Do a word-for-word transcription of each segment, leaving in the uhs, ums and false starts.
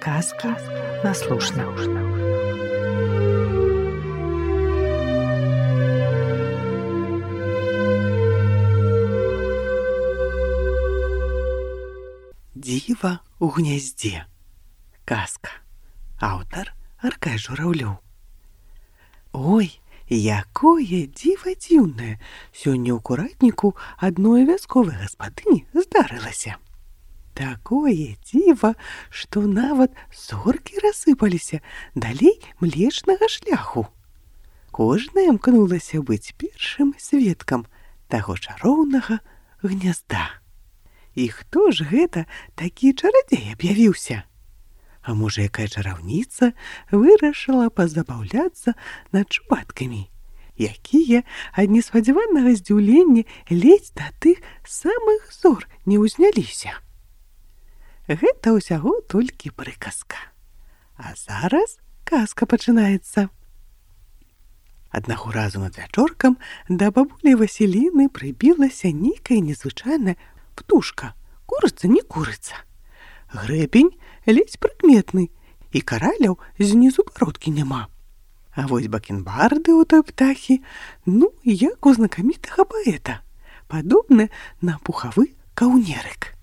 Сказки на слушна. Дзіва ў гняздзе. Казка. Аўтар Аркадзь Журавлёў. Ой, якое дзіва дзіўнае! Сёння ў куратніку адной вясковай гаспадыні здарылася. Такое дзіва, што нават зоркі рассыпаліся далей млечнага шляху. Кожная імкнулася быць першым сведкам таго чароўнага гнязда. І хто ж гэта такі чарадзей аб'явіўся? А можа, якая чараўніца вырашыла пазабаўляцца над чубаткамі, якія ад неспадзяванага здзіўлення ледзь да тых самых зор не ўзняліся. Гэта ўсяго толькі прыказка. А зараз казка пачынаецца. Аднаго разу над вячоркам да бабулі Васіліны прыбілася нейкая незвычайная птушка. Курыца не курыца. Грэбень ледзь прыкметны, і караляў знізу бародкі няма. А вось бакенбарды ў той птахі, ну, як у знакамітага паэта, падобны на пухавы каўнерык.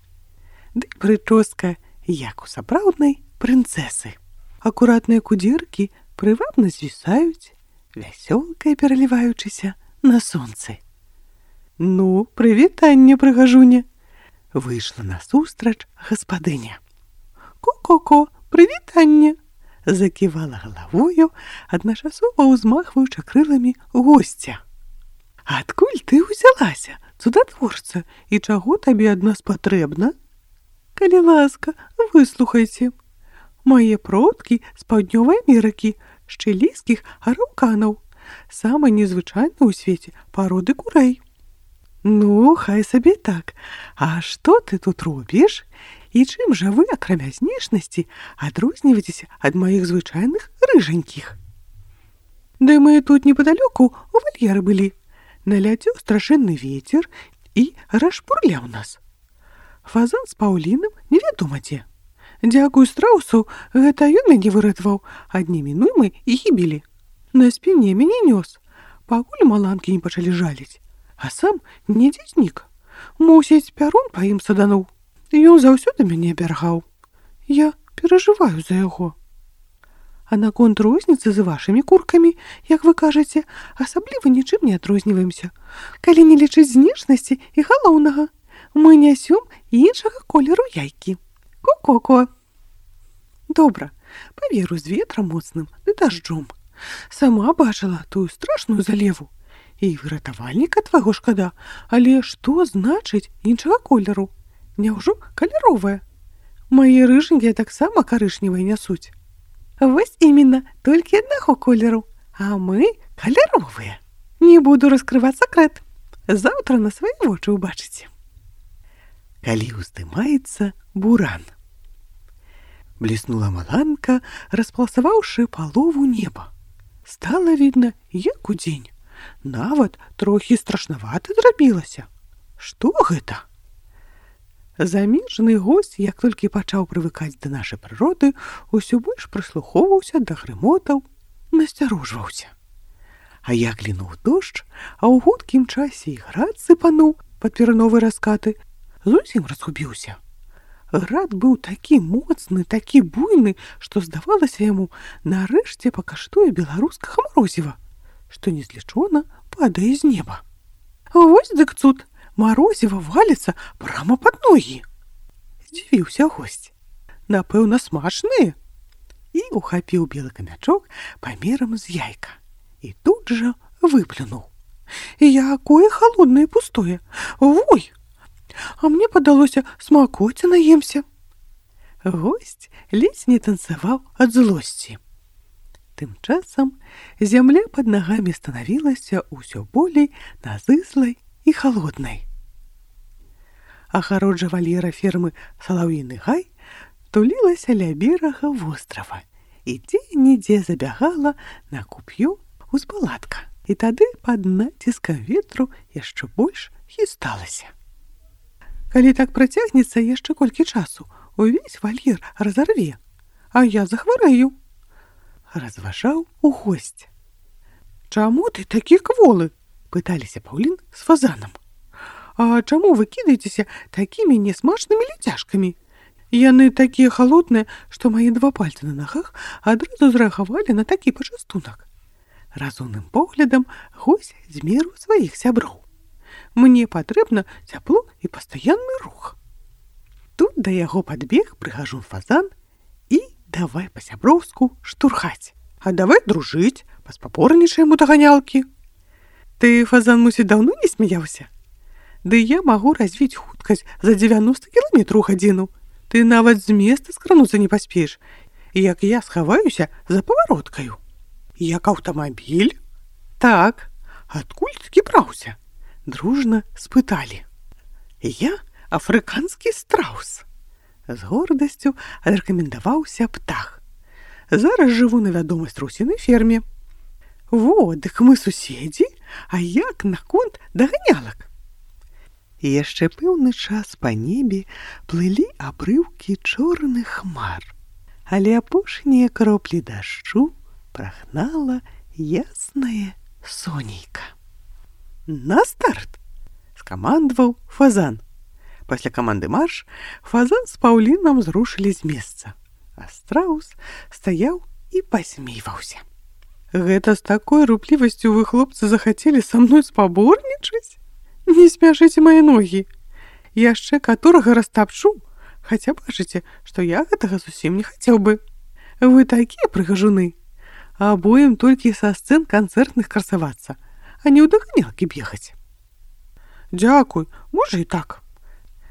Ды прычоска, як у сапраўднай прынцэсы. Акуратныя кудзеркі прывабна звісаюць, вясёлкай пераліваючыся на сонцы. Ну, прывітанне, прыгажуня! Выйшла насустрач гаспадыня. Ко-ко-ко, прывітанне! Заківала галавою, адначасова ўзмахваючы крыламі госця. Адкуль ты ўзялася, цудатворца, і чаго табе ад нас патрэбна? Калі ласка, выслухайце. Мае продкі з паўднёвай Амерыкі, з чылійскіх араўканаў, самай незвычайнай у свеце пароды курэй. Ну, хай сабе так. А што ты тут робіш? І чым жа вы, акрамя знешнасці, адрозніваецеся ад маіх звычайных рыжанькіх? Да мы тут непадалёку у вальеры былі. Наляцеў страшэнны вецер і расшпурляў нас. Фазан з паўлінам невядома дзе. Дзякуй страусу, гэта ён мяне выратаваў ад немінуймай і гібелі. На спіне мяне нёс, пакуль маланкі не пачалі жаліць. А сам недзе знік. Мусіць, пярун па ім садануў. Ён заўсёды мяне абяргаў. Я перажываю за яго. А наконт розніцы з вашымі куркамі, як вы кажаце, асабліва нічым не адрозніваемся. Калі не лічыць знешнасці і галоўнага, мы нясём іншага колеру яйкі. Ко-ко-ко. Добра, паверу з ветрам моцным ды дажджом. Сама бачыла тую страшную залеву. І выратавальніка твайго шкада, але што значыць іншага колеру? Няўжо каляровая? Мае рыжанькія таксама карычневыя нясуць. Вось іменно, толькі аднаго колеру, а мы каляровыя. Не буду раскрываць сакрэт. Заўтра на свае вочы ўбачыце. Калі ўздымаецца буран. Бліснула маланка, распаласаваўшы палову неба. Стала відна, як удзень. Нават трохі страшнавата зрабілася. Што гэта? Замежны госць, як толькі пачаў прывыкаць да нашай прыроды, усё больш прыслухоўваўся да грымотаў, насцярожваўся. А як лінуў дождж, а ў хуткім часе і град сыпануў пад перановы раскаты, зусім разгубіўся. Град быў такі моцны, такі буйны, што здавалася яму, нарэшце пакаштуе беларускага марозіва, што незлічона падае з неба. Вось дык цуд, марозіва валіцца прама пад ногі. Здзівіўся госць. Напэўна, смачныя? І ухапіў белы камячок памерам з яйка. І тут жа выплюнуў. Якое халоднае і пустое. Вой! А мне падалося, смакоці наемся. Госць ледзь не танцаваў ад злосці. Тым часам зямля пад нагамі станавілася ўсё болей назыслай і халоднай. Агароджа вальера фермы Салаўіны гай тулілася ля берага вострава і дзе-нідзе забягала на куп'ё узбалатка. І тады пад націскам ветру яшчэ больш хісталася. Калі так працягнецца яшчэ колькі часу, увесь вальер разарве, а я захварэю. Разважаў у госць. Чаму ты такі кволы? Пыталіся паўлін з фазанам. А чаму вы кідаецеся такімі нясмачнымі ляцяжкамі? Яны такія халодныя, што мае два пальцы на нагах адразу зрэагавалі на такі пачастунак. Разумным поглядам гусь змерыў сваіх сяброў. Мне патрэбна цяпло і пастаянны рух. Тут да яго падбег прыгажун фазан і давай па-сяброўску штурхаць. А давай дружыць, паспапорнічаем у даганялкі. Ты, фазан, мусіць, даўно не смяяўся? Ды я магу развіць хуткасць за дзевяноста кіламетраў у гадзіну. Ты нават з места скрануцца не паспееш, як я схаваюся за павароткаю. Як аўтамабіль? Так, адкуль такі браўся? Дружна спыталі. Я афрыканскі страус. З гордасцю адрэкамендаваўся птах. Зараз жыву на вядомай страусінай ферме. Во, дык мы суседзі, а як наконт даганялак? Яшчэ пэўны час па небе плылі абрыўкі чорных хмар, але апошнія кроплі дажджу прагнала яснае сонейка. На старт! Скамандаваў фазан. Пасля каманды марш фазан з паўлінам зрушылі з месца, а страус стаяў і пасмейваўся. Гэта з такой руплівасцю вы, хлопцы, захацелі са мной спаборнічаць? Не смяшыце мае ногі. Яшчэ каторага растапчу, хаця бачыце, што я гэтага зусім не хацеў бы. Вы такія прыгажуны. Абоім толькі са сцэн канцэртных красавацца, а не ў даганялкі бегаць. Дзякуй, можа і так.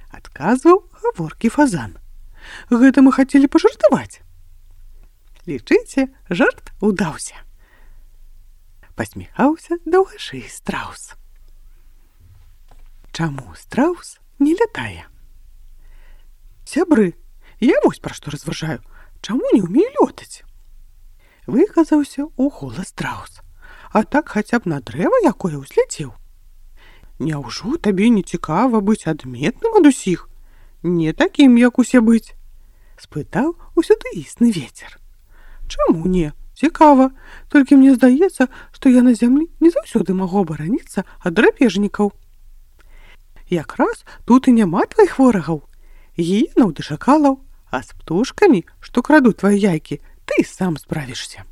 Адказваў гаворкі фазан. Гэта мы хацелі пажартаваць. Лічыце, жарт удаўся. Пасміхаўся даўгашый страус. Чаму страус не лятае? Сябры, я вось пра што разважаю, чаму не ўмею лётаць? Выказаўся ў голас страус. А так хаця б на дрэва якое ўзляцеў. Няўжо табе не цікава быць адметным ад усіх? Не такім, як усе быць? Спытаў усюды існы вецер. Чаму не? Цікава, толькі мне здаецца, што я на зямлі не заўсёды магу абараніцца ад драпежнікаў. Якраз тут і няма тваіх ворагаў. Гіенаў ды шакалаў, а з птушкамі, што крадуць твае яйкі, ты сам справішся.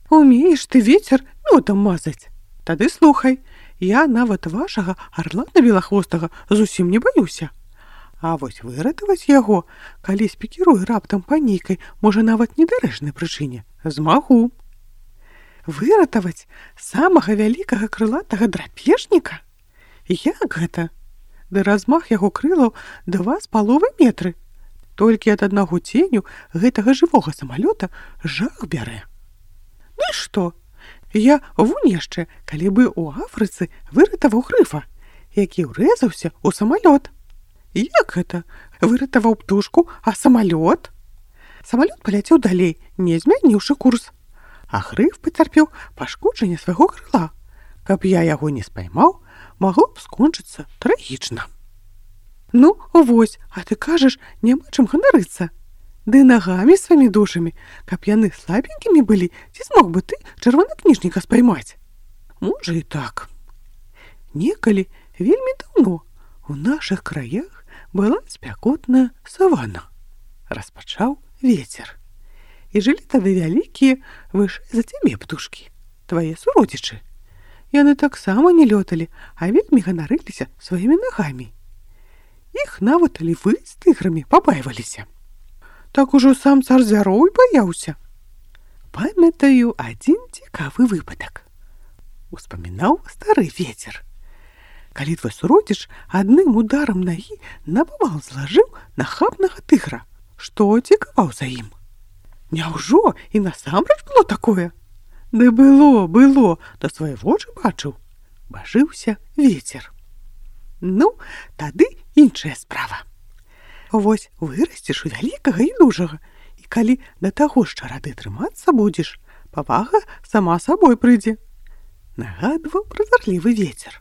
Умееш ты, вецер, мёдам мазаць? Тады слухай, я нават вашага арлана белахвостага зусім не баюся. А вось выратаваць яго, калі спікіруе раптам па нейкай, можа нават недарэчнай прычыне, змагу. Выратаваць самага вялікага крылатага драпежніка? Як гэта? Ды размах яго крылаў два з паловай метры. Толькі ад аднаго ценю гэтага жывога самалёта жах бярэ. Ну і што? Я вунь яшчэ, калі бы ў Афрыцы выратаваў грыфа, які ўрэзаўся ў самалёт. Як гэта? Выратаваў птушку, а самалёт? Самалёт паляцеў далей, не змяніўшы курс. А грыф пацярпеў пашкоджанне свайго крыла. Каб я яго не спаймаў, магло б скончыцца трагічна. Ну, вось, а ты кажаш, няма чым ганарыцца. Ды нагамі сваімі душамі, каб яны слабенькімі былі, ці змог бы ты чырванакніжніка спаймаць? Можа і так. Некалі, вельмі даўно, у нашых краях была спякотная савана. Распачаў вецер. І жылі тады вялікія, вышэй за цябе птушкі, твае суродзічы. Яны таксама не лёталі, а вельмі ганарыліся сваімі нагамі. Іх нават львы з тыграмі пабайваліся. Так ужо сам цар звяроў і баяўся. Памятаю адзін цікавы выпадак. Успамінаў стары вецер. Калі твой суродзіч адным ударам нагі напавал злажыў нахабнага тыгра, што цікаваў за ім? Няўжо і насамрэч было такое? Ды было, было, да свае вочы бачыў. Бажыўся вецер. Ну, тады іншая справа. Вось вырасцеш у вялікага і дужага, і калі да таго ж чарады трымацца будзеш, павага сама сабой прыйдзе. Нагадваў празарлівы вецер.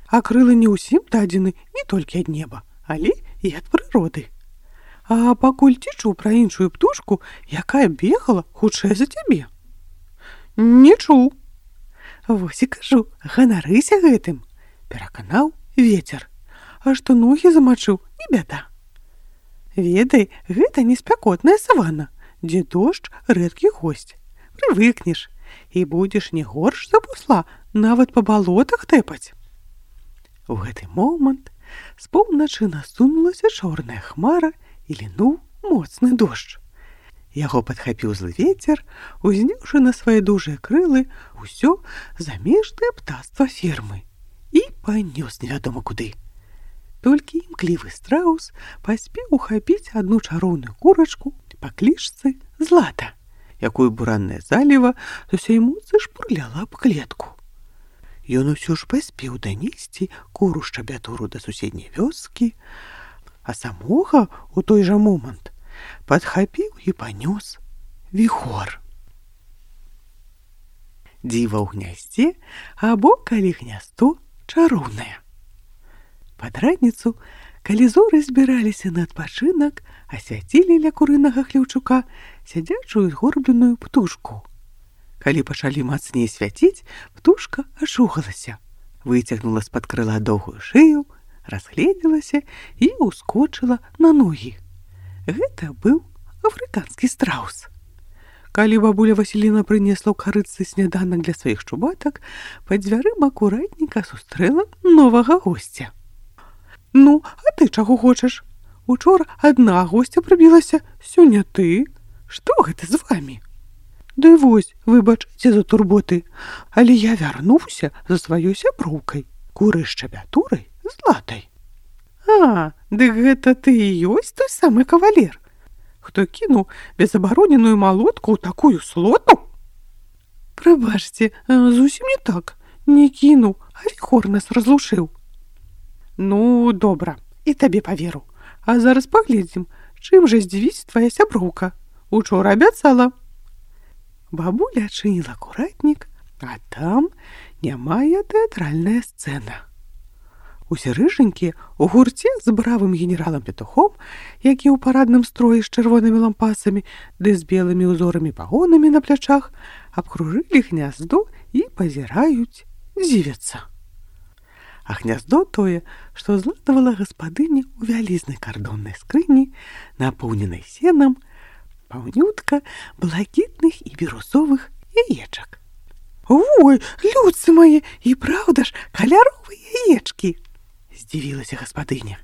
А крылы не ўсім дадзены не толькі ад неба, але і ад прыроды. А пакуль ці чуў пра іншую птушку, якая бегала хутчэй за цябе? Не чуў. Вось і кажу, ганарыся гэтым, пераканаў вецер. А што ногі замачыў, не бяда. Ведай, гэта не спякотная саванна, дзе дождж рэдкі госць. Прывыкнеш і будзеш не горш за бусла, нават па балотах тэпаць. У гэты момант з поўначы насунулася чорная хмара і лінуў моцны дождж. Яго падхапіў злы вецер, узняўшы на свае дужыя крылы ўсё замежнае птаства фермы і панёс невядома куды. Толькі імклівы страус паспеў ухапіць адну чароўную курачку па клічцы Злата, якую буранная заліва з усёй моцы шпурляла аб клетку. Ён усё ж паспеў данесці куру шчабятуру да суседняй вёскі, а самога у той жа момант падхапіў і панёс віхор. Дзіва ў гняздзе або калі гняздо чароўнае. Пад раніцу, калі зоры збіраліся на адпачынак, асвяцілі ля курынага хлеўчука сядзячую згорбленую птушку. Калі пачалі мацней свяціць, птушка ашугалася, выцягнула з-пад крыла доўгую шыю, разгледзелася і ўскочыла на ногі. Гэта быў афрыканскі страус. Калі бабуля Васіліна прынесла ў карытцы сняданак для сваіх чубатак, пад дзвярыма куратніка сустрэла новага госця. Ну, а ты чаго хочаш? Учора адна госця прыбілася, сёння ты. Што гэта з вамі? Ды вось, выбачайце за турботы, але я вярнуўся за сваёй сяброўкай, курай шчабятурай Златай. А, дык гэта ты і ёсць той самы кавалер, хто кінуў безабароненую малотку ў такую слоту? Прабачце, зусім не так. Не кінуў, а віхор нас разлучыў. Ну, добра, і табе паверу. А зараз паглядзім, чым жа здзівіць твая сяброўка. Учора абяцала. Бабуля адчыніла куратнік, а там нямая тэатральная сцэна. Усе рыжанькі ў гурце з бравым генералам Петухом, які ў парадным строі з чырвонымі лампасамі ды з белымі ўзорамі пагонамі на плячах, абкружылі гняздо і пазіраюць, дзівяцца. А гняздо тое, што златавала гаспадыня ў вялізнай кардоннай скрыні, напоўненай сенам, паўнютка блакітных і бірусовых яечак. Ой, людцы мае, і праўда ж, каляровыя яечкі! Здзівілася гаспадыня.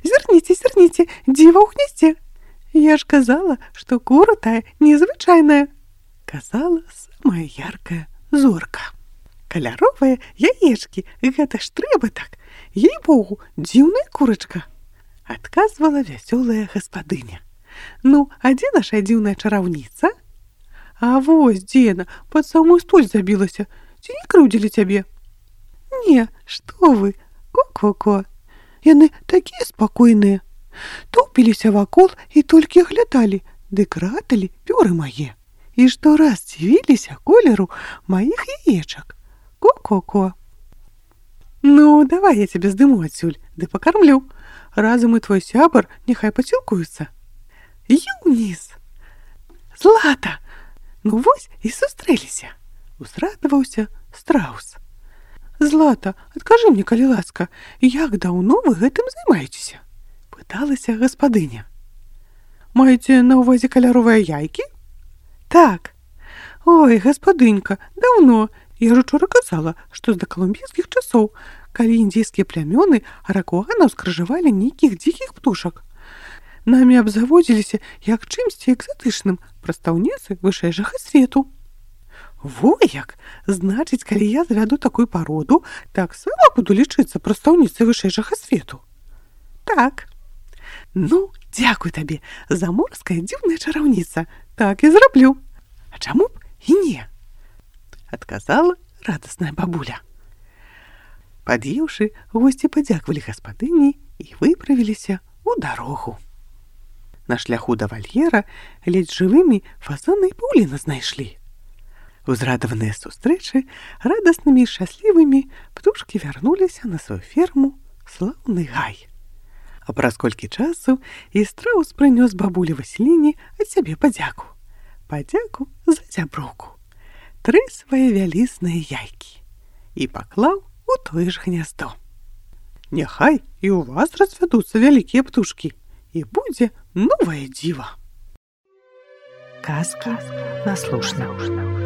Зірніце, зірніце, дзіва ў гняздзе. Я ж казала, што кура тая незвычайная. Казала самая яркая зорка. Каляровыя яечкі, гэта ж трэба так. Ей-богу, дзіўная курачка. Адказвала вясёлая гаспадыня. Ну, а дзе наша дзіўная чараўніца? А вось, дзена, пад самую столь забілася. Ці не крыўдзілі цябе? Не, што вы, ко-ко-ко. Яны такія спакойныя. Тупіліся вакол і толькі глядалі, ды краталі пёры мае. І штораз дзівіліся колеру маіх яечак. Ко-ко-ко. Ну, давай я цябе здыму адсюль, ды пакармлю. Разам і твой сябар няхай пацілкуюцца. Юніс! Злата! Ну вось і сустрэліся. Узрадаваўся страус. Злата, адкажы мне, калі ласка, як даўно вы гэтым займаецеся? Пыталася гаспадыня. Маеце на ўвазе каляровыя яйкі? Так. Ой, гаспадынька, даўно. Я ж учора казала, што з дакалумбійскіх часоў, калі індзейскія плямёны аракуанаў скрыжавалі нейкіх дзікіх птушак. Намі абзаводзіліся як чымсьці экзатычным прадстаўніцы вышэйшага свету. Во як! Значыць, калі я завяду такую пароду, таксама буду лічыцца прадстаўніцай вышэйшага свету. Так. Ну, дзякуй табе, заморская дзіўная чараўніца. Так і зраблю. А чаму б і не? Адказала радасная бабуля. Пад'еўшы, госці падзяквалі гаспадыні і выправіліся ў дарогу. На шляху да вальера ледзь жывымі фазаны і паўліна знайшлі. Узрадаваныя сустрэчы, радаснымі і шчаслівымі, птушкі вярнуліся на сваю ферму слаўны гай. А праз колькі часу і страус прынёс бабулі Васіліне ад сябе падзяку. Падзяку за зяброўку. Тры свае вялізныя яйкі. І паклаў у тое ж гняздо. Няхай і ў вас развядуцца вялікія птушкі, і будзе новае дзіва. Казка наслушна.